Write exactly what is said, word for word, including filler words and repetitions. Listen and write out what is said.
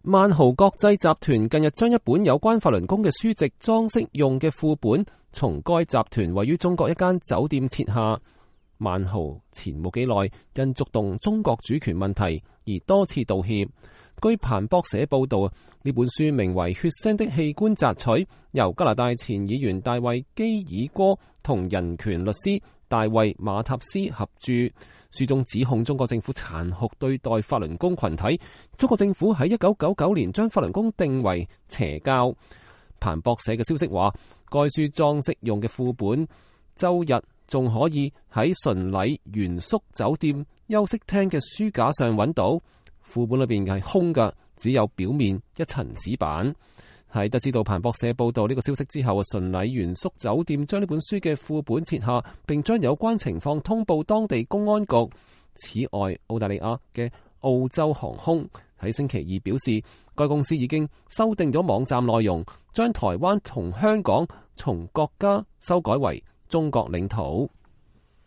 萬豪國際集團近日將一本有關法輪功嘅書籍裝飾用嘅副本從該集團位於中國一間酒店撤下。萬豪前冇幾耐因觸動中國主權問題而多次道歉。據彭博社報道，呢本書名為《血腥的器官摘取》，由加拿大前議員大衛基爾哥同人權律師大衛馬塔斯合著。書中指控中國政府殘酷對待法輪功群體。中國政府喺一九九九年將法輪功定為邪教。彭博社嘅消息話，該書裝飾用嘅副本周日仲可以喺純禮原宿酒店休息廳嘅書架上揾到。副本裏邊係空嘅，只有表面一層紙板。喺得知到彭博社報道呢個消息之後，純禮原宿酒店將呢本書嘅副本撤下，並將有關情況通報當地公安局。此外，澳大利亞嘅澳洲航空喺星期二表示，該公司已經修訂咗網站內容，將台灣同香港從國家修改為中國領土。